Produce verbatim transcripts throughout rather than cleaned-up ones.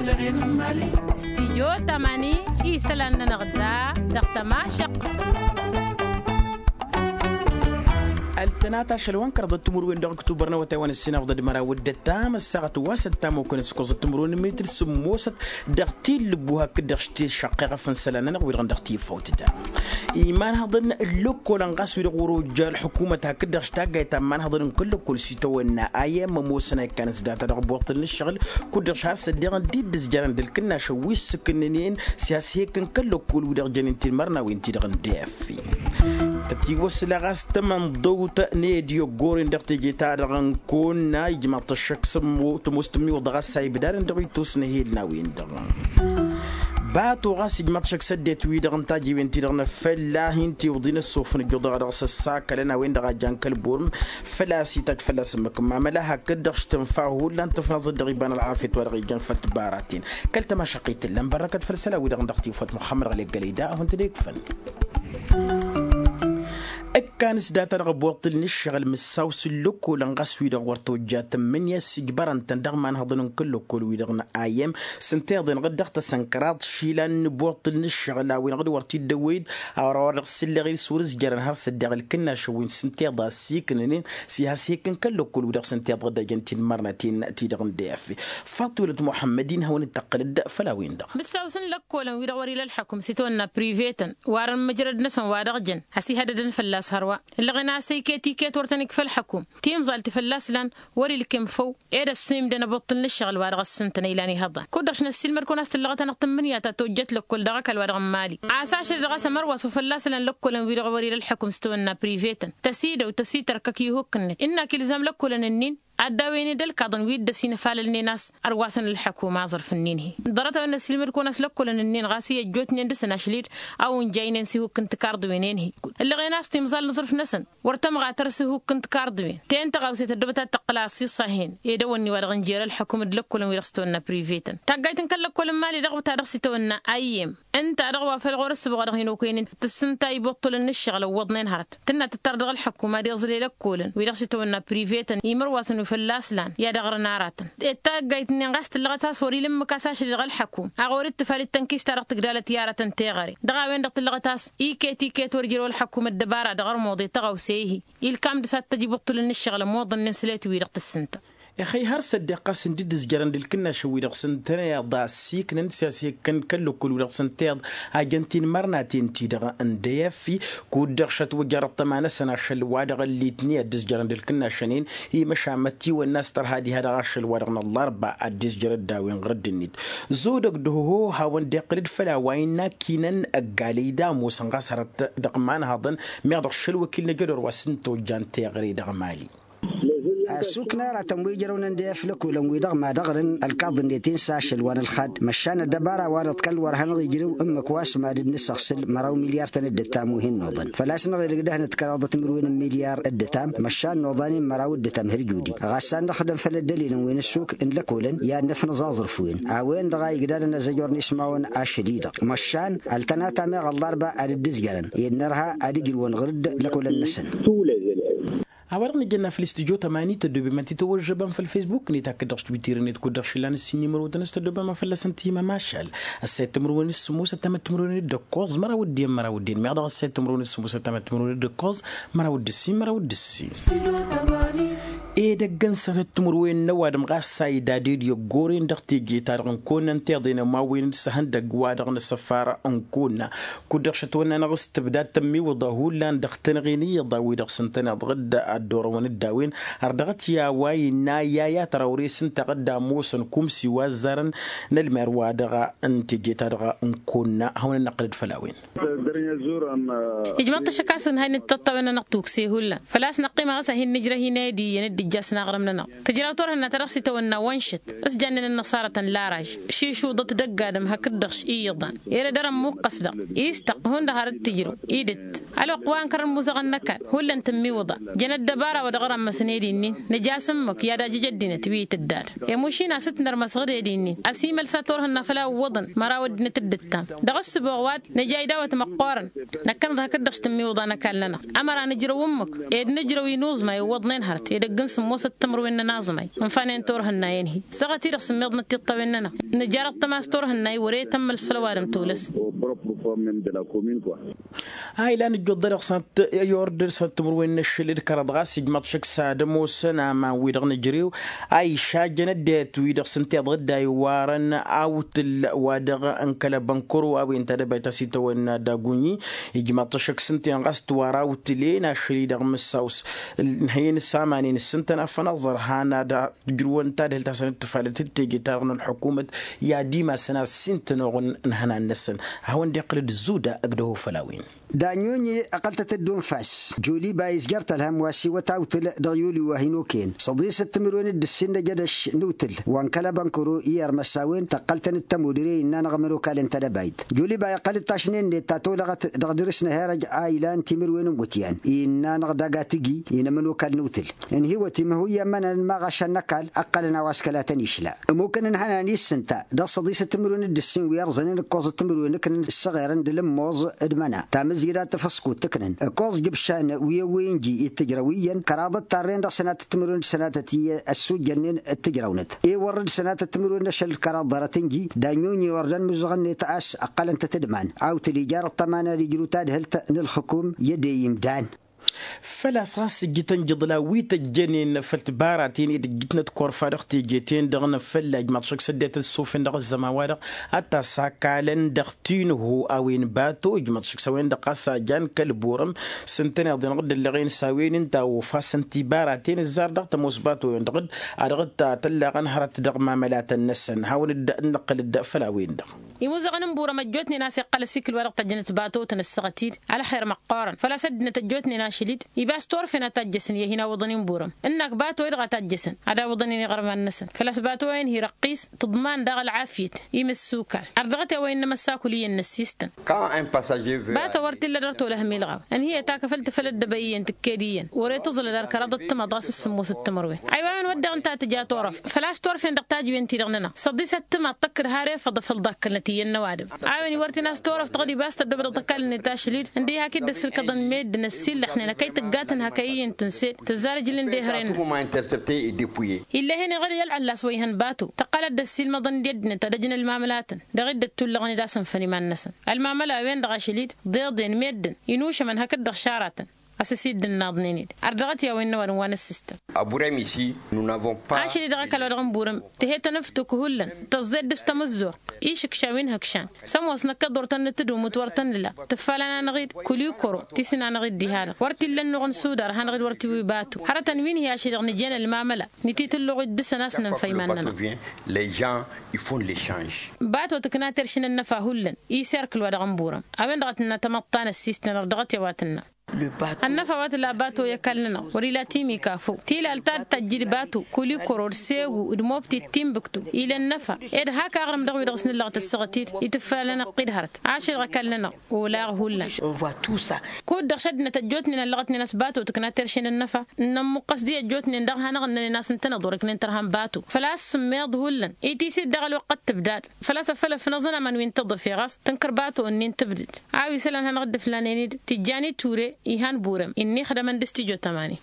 Stijyo tamani isălan-nănăɣ da dăɣ-tămašăq. Ăltănat ašăl wa n-kărăḍăt timǝrwen dăɣ-ăktubăr n-awătay wa n-ăssinăɣ d-ădmăraw d-ăttam ăssaɣăt wa s-ăttam okănăt s-ikoẓăt timǝrwen n-mitǝl sǝmmosăt dăɣ-tillǝbbu hakd-dăɣ s-tišăqqeɣ afǝnsălan-nănăɣ wi-dăɣ n-dăɣ-tifawt da. Imanhăḍăn n-lăkkolăn ɣas wi-dăɣ wăr-ojja ălḥukumăt hakd-dăɣ s-taggayt ta n-imanhăḍăn n-kăl-lăkkol s-itawănna a i-ămmămosăn a ikkanăs data dăɣ-buṭṭǝl n-ǝššăɣǝl kud-dăɣ šhar s-ăddiɣăn d-dd-ǝzjărăn d-ǝlkǝnnašăn wi ǝssǝkǝnnǝnen s-ihas hek n-kăl-lăkkol wi-dăɣ jănen tinmărnawen-ti-dăɣ n-def. Tătiwăsla ɣas tamănḍăwt n-edi ăggoren dăɣ-teje-ta-dăɣ n-kăwănna ijmaḍ-t ăššăk s-ămmo tămoos tǝmmiwăḍ ɣas a ibdadăn dăɣ-ittus n-ehel n-a-wen-dăɣ. Bato ɣas ijmaḍ-t ăššăk s-ăddinăt-wi-dăɣ n-tajiwen-ti-dăɣ n-afălla hin-tiwǝḍin ăssofăn ǝjjuḍăɣ dăɣ-s ăssakălăn a-wen-dăɣ a jan kăl-burǝm. Făl-a-s itajj fălla-s ǝmmǝk n-mamăla hakd-dăɣ s-tǝnfa hullan tǝfnăẓ-dd dăɣ-iba n-ălɣafyăt wa dăɣ-ijăn făll-tibaraten. Kăl-tămašăqqit tǝllăm bărrăkăt făll-isălan-wi-dăɣ n-dăɣ-tifawt muxămmăd ɣălek gălăyda a hawăn-tăn-ikfăn. Ǝkkan s-data-dăɣ ăbbuṭṭǝl n-ǝššăɣǝl mǝssaw s-ǝllăkkolăn ɣas wi-dăɣ wăr tojja tǝmmǝnǝya s-ijbărăn-tăn dăɣ-imanhăḍăn n-kăl-lăkkol-wi-dăɣ n-a i m s-ǝnta iḍen ɣǝd-dăɣ tăsănkăraḍ išilan n-ibuṭṭǝl n-ǝššăɣǝl a-wen ɣǝd wăr t-dd-ăwwăyăd a wăr-wăr dăɣ-s ǝlleɣ-i s-wăr-ǝzjărăn har s-ăddeɣ ǝlkǝnnašăn wi n-sǝnteḍ a ăssiiknănen s-ihas hek n-kăl-lăkkol-wi-dăɣ sǝnteḍ ɣǝddajăn tinmărnaten-ti-dăɣ n-def. Faṭulăt muḥămmăd-in hawăn-dd-tăqqǝlăd făll-a-wen-dăɣ. Mǝssaw-s n-lăkkolăn wi-dăɣ wăr-ila ălḥăkum s-itawănna privetăn warăn mǝjrăd-năsăn wa dăɣ-jăn has-ihădădăn fălla-s hărwa. Ǝllăɣen a-s iket iket wăr tăn-ikfa ălḥăkum timẓal ti fălla-s lan wăr-ilkem făw. Ed ăssiimdăn abuṭṭǝl n-ǝššăɣǝl wa dăɣ-ăssǝntăn a ilan ihăḍan kud-dăɣ š-năssiilmăd-kăwăn a-s tǝllăɣăt-anăɣ tǝmmǝnǝya ta tojjăt lăkkol dăɣ-ăkall wa dăɣ-n mali. A-s ašăl dăɣ-a-s ămărwas wa fălla-s ǝlan lăkkolăn wi-dăɣ wăr-ila ălḥăkum s-tawănna privetăn tăsidăw tăsitărkăk ihuk-net ǝnnak ilzam lăkkolăn-ǝnnin. Ad-dawăyăn-dd ălkaḍăn wi dd-ăsinăfalălnen a-s ărwasăn ălḥăkum aẓrǝf-ǝnnin-hi. Ḍarăt-a-wen năssiilmăd-kăwăn a-s lăkkolăn-ǝnnin ɣas i-ăjjootnen dăr-săn ašăl-dd a unjaynen s-ihuk n-tikarḍǝwen-en-hi. Ǝllăɣen a-s timẓal n-aẓrǝf-năsăn wăr tămɣatăr s-ihuk n-tikarḍǝwen ten tăɣawse tăddobăt ad-tăqqǝl a ăṣṣiṣa-hen. Edăwănni wa dăɣ-n jer-ălḥăkum d-lăkkolăn wi dăɣ-s tawănna privetăn taggayt n-kăl-lăkkol n-mali dăɣ-ta dăɣ-s itawănna a i m ǝnta-dăɣ wa făl ɣur-ǝssǝboɣ a dăɣ-hin-okăynen tǝssǝnta ibuṭṭulăn n-ǝššăɣǝl ăwwăḍnen hărăt tǝnna tǝttar dăɣ-ălḥăkkum ad-iẓle lăkkolăn wi dăɣ-s itawănna privetăn imărwasăn wi fălla-s lan i-ad-ăɣrǝn aratăn. Ed taggayt-nin ɣas tǝllăɣăt a-s wăr-ila ǝmmǝk a-s ašăl dăɣ-ălḥăkkum a ɣur-dd tǝfal d-tănkist-ta-dăɣ tǝgdalăt i-aratăn teɣăre dăɣ-a-wen-dăɣ tǝllăɣăt a-s iket iket wăr ijrăw ălḥăkkum ăddăbara dăɣ-ărmuḍe tăɣawse-hi. Ilkam dăr-s ad-t-ăj ibuṭṭulăn n-ǝššăɣǝl ămmuḍănnen sălet-wi-dăɣ tǝssǝnta. Ixăy har s-ăddeɣ ɣas n-dd-ǝzjărăn d-ǝlkǝnnašăn wi-dăɣ s-ǝntăneḍ a ăssiiknăn s-i-has-hekkăn kăl-lăkkol wi-dăɣ s-ǝnteḍ a jăn tinmărnaten-ti-dăɣ n-dăyăffi. Kud-dăɣ šătwăjjărăt tăma-năsăn ašăl wa dăɣ-ăllitni ad-dd-ǝzjărăn d-ǝlkǝnnašăn-in. Imăšamăt tiwănna a-s tărha diha-dăɣ ašăl wa dăɣ-năllarba ad-dd-ǝzjărăt d-a-wen ɣǝrǝdd-net. Zodăg d-hoho hawăn-dd-iqqǝl-dd făll-a-wa innă akkinăn ăggalăy d-ămoosăn ɣas hărăt dăɣ-imanhăḍăn. Meɣ dăɣ-šăl wăkil n-ajădor wa s-ǝnta ojjan teɣăre dăɣ-mali. Ăssuk n-aratăn wi ǝjrăwnen d-eflăkulăn-wi-dăɣ mad-ăɣrǝn ălkaḍ-net-in s-ašăl wa n-ălxad măšan ăddăbara-wa-dăɣ d-kăl-wăr hanăɣ-ijrǝw ǝmmǝk wa s-mad-dd-nǝsăɣsǝl măraw milyar tăn-dd-ǝttam wi hin-noḍăn făl-a-s năɣ-edăgg dăɣ-năt kăraḍăt timǝrwen n-milyar dd-ǝttam măšan noḍan-in măraw dd-ǝttam hărjudi. Ɣas a n-dăɣ-dăm făll-ăddălilăn wi n-ăssuk n-lăkolăn i-ad-năfnăẓ aẓrǝf-wen a-wen-dăɣ a igdadăn azăjor n-ismawăn ašăl-i-dăɣ măšan ăltănata meɣ ăllarba ad-dd-ǝzjărăn i-dd nărha ad-ǝjrǝwăn ɣur-dd lăkolăn-năsăn. A-wa-dăɣ nǝjănna făll-istudyo tămani tăddobem ad-t-tăwăžžăbăm făll-fesbuk-net hakd-dăɣ s-twitter-net kud-dăɣ šillan ǝssin imărotăn s-tăddobem a fălla-săn timămašal. Ăssayăt timǝrwen s-sǝmmosăt tamăt timǝrwen d-ǝkkoẓ măraw d-iyyăn măraw d-iyyăn meɣ dăɣ-ăssayăt timǝrwen s-sǝmmosăt tamăt timǝrwen d-ǝkkoẓ măraw d-ǝssin măraw d-ǝssin. Edăgg n-săfăt timǝrwen n-ăwadǝm ɣas a idad ed i-ăggoren dăɣ-teje-ta-dăɣ n-kăwănna n-tiḍen ămawwen d-săhăndăgg wa dăɣ-năsăfar n-kăwănna. Kud-dăɣ šătwănna-năɣ s-tǝbdad tămmiwǝḍa hullan dăɣ-tăn-ɣiniyyăḍ a-wi-dăɣ s-ǝntăneḍ dd-ad-dd-orăwăn d-a-wen ărdăɣăt i-a-wa innă i-a i-ad-tărawre s-ǝnta dd-ămoosăn kumsi wa ăzzarăn n-ălmer wa dăɣ-n teje-ta-dăɣ n-kăwănna hawăn-ănnăqqǝlăd făll-a-wen. Ijmăḍ-t ăššăk a-s ǝnhăynăt tăṭṭawen-nănăɣ tukse hullan făl-a-s năqqima ɣas ad-hin-nǝjrăh inayăd iyyăn dd-ijjas n-aɣrǝm-nănăɣ. Tǝjraw turhǝnna ta dăɣ-s itawănna wănšăt s-jannen ănnăṣarăt n-laraj šišuḍăt dăgg-adǝm hakd-dăɣ iyyăḍan. Ere dăr-ămmuqqăs-dăɣ istăɣ hundăɣ har dd-tǝjrǝw idǝt ălwăqq wa ǝnkărăn muzăɣăn n-ăkall hullan tǝmmiwǝḍa. Jăn ăddăbara wa dăɣ-rămmăsăn ed innin nǝja s-ǝmmǝk i-ad-ajǝj ăddinăt wi itǝddad. Emušin a-s t-nărmăsăɣ d-ed innin ăsimăl s-ad-turhǝnna făll-a ǝwwăḍăn măraw ăddinăt d-ǝttam. Dăɣ-ǝssǝboɣ wa-d nǝja idawăt măqqoorăn. Năkkăneḍ hakd-dăɣ s-tǝmmiwǝḍa n-ăkall-nănăɣ ămăra nǝjrăw ǝmmǝk ed nǝjrăw inuẓmay ǝwwăḍnen hărăt edăgg n-sǝmmosăt timǝrwen n-ănaẓmay. Ǝnfanen turhǝnna i-ănhi săɣăt-i-dăɣ sǝmmiḍnăt tiṭṭawen-nănăɣ. Nǝja dăɣ-tămas turhǝnna i-wăr-e tămmălăs făll-ăwadǝm tolăs. A ilan ǝjjuḍ-dăɣ s-ad-t-i-ord s-ad-timǝrwen n-ašăl d-kăraḍ ɣas ijmaḍ šăkk s-ad-ămoosăn aman-wi-dăɣ nǝjrew a išajjăn ăddinăt-wi-dăɣ s-ǝnta iḍa dd-a iwarăn awtǝl wa dăɣ-n kăl-abănkăro a-wen tadăbayt a-s itawănna d-agunyi. Ijmaḍ-t šăkk s-ǝnta-en ɣas tiwar awtǝl-en ašăl-i-dăɣ mǝssaw-s ǝnhăyăn s-aman-in s-ǝntăn afănaẓăr han ad-tǝjrǝwăn tadhǝlt a-s ănăttǝfalăt d-teje-ta-dăɣ n-ălḥukumăt i-ad-imasăn a-s ǝntănoɣ n-ihănan-năsăn. A hawăn-dd-iqqǝl d-zuda ăgg-dăho făll-a-wen. Daɲoɲe ăqqăl-tăt-dd-unfas. Joliba izjăr tălhăm wa s-iwăt awtǝl dăɣ-yuli wa hin-okăyăn săḍisăt timǝrwen d-ǝssin n-ejădăš n-awtǝl wa n-kăl-abănkăro i-irmăs a-wen tăqqăl-tăn-dd tămudre innă-năɣ ămănokal n-tadăbayt. Joliba iqqăl-dd tašnen-net ta tolăɣăt dăɣ-dăr-s n-ehărăj a ilan timǝrwen n-iwǝtyan innă-năɣ dagatǝgi i-inămănokal n-awtǝl. Ǝnhǝywăt imhǝyya n-imănăn maɣašan n-ăkall ǝqqălăn a-wa s-kăla tăn-išla. Ămmukăn ǝnhănan i-s ǝnta dăɣ-săḍisăt timǝrwen d-ǝssin wi ărẓănen ǝkkoẓăt timǝrwen ǝknăn ǝssăɣerăn d-alǝmmoẓ d-imăna tamǝzjǝdat tăfăskut tǝknăn ǝkkoẓ jǝbšan wi ăwwăyăn ji ittǝjrăw iyyăn kăraḍăt tarren dăɣ-sănatăt timǝrwen d-sănatăt iyyăn ăssujjănnen d-tǝjrăwnăt. I-wăr d-sănatăt timǝrwen n-ašăl d-kăraḍ ḍarăt-in-ji daɲoɲe wăr dăr-nǝzăɣăn-net a-s ǝqqălăn-tăt d-iman awtǝl ijar ăṭṭăman ad-ijrǝw tadhǝlt n-ǝlxǝkum i-ădey imdan. Făl-a-s ɣas ǝjjǝtăn jǝḍla wi tăjjănen făll-tibaraten i-dd-ǝjjǝtnăt korfa dăɣ-teje-ten-dăɣ n-fălla ijmaḍ šăkk s-ăddinăt ăssofen dăɣ-ăzzăman-wa-dăɣ ad-t-asakalăn dăɣ-tinho a-wen bato ijmaḍ šăkk s-a-wen-dăɣ ɣas a jan kăl-burăm s-ǝntăneḍ-en ɣǝddǝllăɣen s-a-wen ǝnta a ofasăn tibaraten ǝzzar dăɣ-tămoos bato-en-dăɣ d-a dăɣ-t-tăllaɣăn hărăt dăɣ-mamălatăn-năsăn hawăn-dd-nǝqqǝl-dd făll-a-wen-dăɣ. Imuzăɣăn n-burăm ăjjootnen a-s iqqăl ăsikǝl wa dăɣ-tăjjănăt bato tăn-ăssăɣăt-dd ălxer măqqoorăn făl-a-s ăddinăt ăjjootnen ašăl-dd ibas turfen a tajjăsăn i-ad-hin-awǝḍăn inburăm ǝnnak bato-i-dăɣ a tajjăsăn ad-awǝḍăn-in iɣărman-năsăn făl-a-s bato-en hi-răqqis tǝḍman daɣ ălɣafyăt i-imǝssukan. Ar dăɣ-t i-a-wa innă măssakul iyyăn n-ăssiistăn. Bato wăr t-illa dăr-tolăh milɣaw ǝnhǝyăt akăfăl tǝfăl ăddăbăy iyyăn tǝkked iyyăn wăr-e tǝẓlăd ar kăraḍăt timaḍ ɣas s-sǝmmosăt timărwen. Aywa a-wen wădden ta tǝja turăft făl-a-s turfen dăɣ-tajǝwen-ti-dăɣ-nănăɣ săḍisăt timaḍ tăkkăd har efăḍ afăl ḍakkălnăt iyyăn n-ăwadǝm. A-wen wăr t-in-as turăft ɣǝd ibas tăddobădăɣ tăkall-net ašăl-dd ǝndǝy hak-dd-ăssǝlkăḍăn meddǝn ăssiillăxnen hăkăy tǝggatăn hăkăy iyyăn tǝnse tǝzzar ijlǝn d-ehăren-năɣ. Ill'-e-hen iɣăl i-ălɣăllas wa ihăn bato tăqqăl ad-dd-ăssiilmăḍăn d-ăddinăt ad-ăj n-ălmamălatăn dăɣ-i dd-ăttullăɣăn d-asǝnfăn iman-năsăn. Ălmamăla-wen-dăɣ ašăl-dd ḍeḍen meddǝn inušămăn hakd-dăɣ šaratăn a-s ăsidǝnnaḍnen-dd. Ardăɣăt i-a-wen n-ăwadǝm wa n-ǝssǝstăn. Ašăl-i dăɣ-ăkall wa dăɣ-n burăm tǝhe tănăftuk hullan tăẓẓed dăɣ-s tamǝzzuɣt išǝkša wi n-ihǝkšan. S-ămoos năkkăḍ wăr tăn-nǝtǝdumǝt wăr tăn-nǝla tǝffalăn-anăɣ-dd kul-i kăro tisǝn-anăɣ-dd diha-dăɣ wăr t-illa ănnuɣ n-sudar ad-hanăɣ-dd wăr tiwǝy batu hărătăn wi n-hi-ašăl-i-dăɣ nǝjăn ălmamăla nǝtitǝlluɣ-dd dăɣ-săn a-s nǝnfăy iman-nănăɣ. Batu tǝkna terš n-ănnăfa hullan i-serkǝl wa dăɣ-n burăm. A-wen-dăɣ a tǝnna tamăḍta n-ăssiistăn ărdăɣăt i-a-wa tǝnna. Ănnăfa wa tǝla bato i-ăkall-nănăɣ wăr-ila timika făw tilalt ta d-tăjjǝd bato kul-i kăro d-segu d-mobti d-timbǝktu ila ănnăfa. Ed hak aɣrǝm dăɣ-wi-dăɣ s-nǝllăɣ tăssăɣăt-dd itǝffalăn ăqqid hărăt ašăl dăɣ-ăkall-nănăɣ. Olaɣ hullan. Kud-dăɣ šăddinăt ăjjootnen ăllăɣătnen a-s bato tǝkna terše n-ănnăfa. N-ămmuqqăs-di ăjjootnen dăɣ-hanăɣ-ǝnnănen a-s ǝntăneḍ wăr-ǝknen tărha n-bato făl-a-s sǝmmeḍ hullan. Itis-dd daɣ ălwăqq d-tǝbdad făl-a-s ăffăl ăfnăẓăn aman wi n-tǝḍǝf iɣas tǝnkăr bato-ǝnnin tǝbdǝd. A-wi isălan hanăɣ-dd-ǝflanen-dd tijjan i ture. Ihan burăm innă ixdămăn d-s tijo tămani.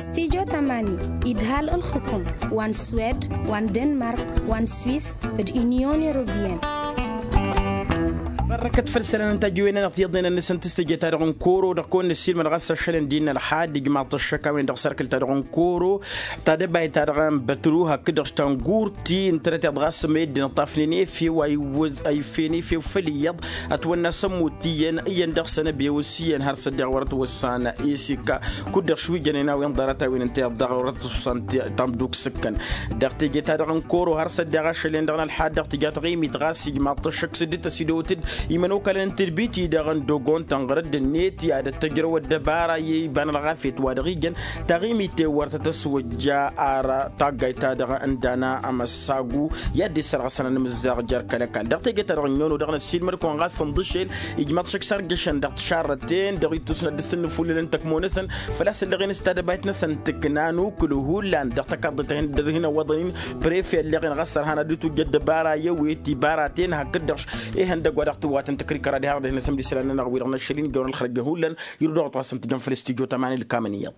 S-tijo tămani idhal ǝlxǝkum wa n-swed wa n-denmark wa n-swis d-inyon europiyăn. Mărrăkăt făll-isălan n-tajǝwen-anăɣ tiyyăḍnen-năsăn tǝstăje-ta-dăɣ n-koro dăɣ-kăwăn-nǝssilmăd ɣas ašălăn d-innă ălxad ijmaḍ-t ăššăk a-wen-dăɣ s-erkǝl-ta-dăɣ n-koro. Tadăbayt-ta-dăɣ n-bătru hakd-dăɣ s-tangurt ti ǝntănăteḍ ɣas meddǝn ǝṭṭafnen efew a iffeyen efew făll-iyyăḍ. Ătwănna s-ămmut iyyăn iyyăn dăɣ-săn ăbewăs iyyăn har s-ăddeɣ wăr ătwăssan. Isikka kud-dăɣ šwijjănen a-wen ḍarăt a-wen ǝnta iyyăḍ dăɣ-wăr ătwăssan. Tamduk s-ǝkkăn dăɣ-teje-ta-dăɣ n-koro har s-ăddeɣ ašăl-en-dăɣ n-ălxad dăɣ-tǝja taɣimit ɣas ijmaḍ-t ăššăk s-dd-tăsidăwăt-dd. Imănokalăn n-tǝdbit-i-dăɣ n-dogon tănɣărăd-net i-ad-ăttăjrăw ăddăbara i-iba n-ălɣafyăt wa dăɣ-ijăn taɣimit i-wăr tăt-ăswăjja. Ar taggayt-ta-dăɣ n-dana amăssagu i-ad-dd-issărɣăsăn anǝmǝzzaɣ jer-kăl-ăkall dăɣ-teje-ta-dăɣ ǝnyon-o-dăɣ n-ăssiilmăd-kăwăn ɣas ǝnḍǝšel ijmaḍ šăkk sarjăšăn dăɣ-tišarrăten dăɣ-ittus n-ad-dd-sǝnnǝfullǝlăn tăkmo-năsăn făl-a-s ǝlleɣen s-tadăbayt-năsăn tǝkna n-ukǝl hullan dăɣ-takaḍḍet a hin-dd-ărhin ăwwăḍăn-in prefe ălleɣen ɣas sărhan ad-dd-tujj ăddăbara i-ewet ibaraten hakd-dăɣ ihăndăgg wa dăɣ-tǝwwatăn tăkrikăra diha dăɣ-dăh-năsăn d-isălan-nănăɣ wi-dăɣ n-ašăl-in jăwăn ălxărăj n-hullan. Irǝw dăɣ-wa t-wa s-ǝntǝjăn făll-s tijot aman ilkamăn iyyăḍ.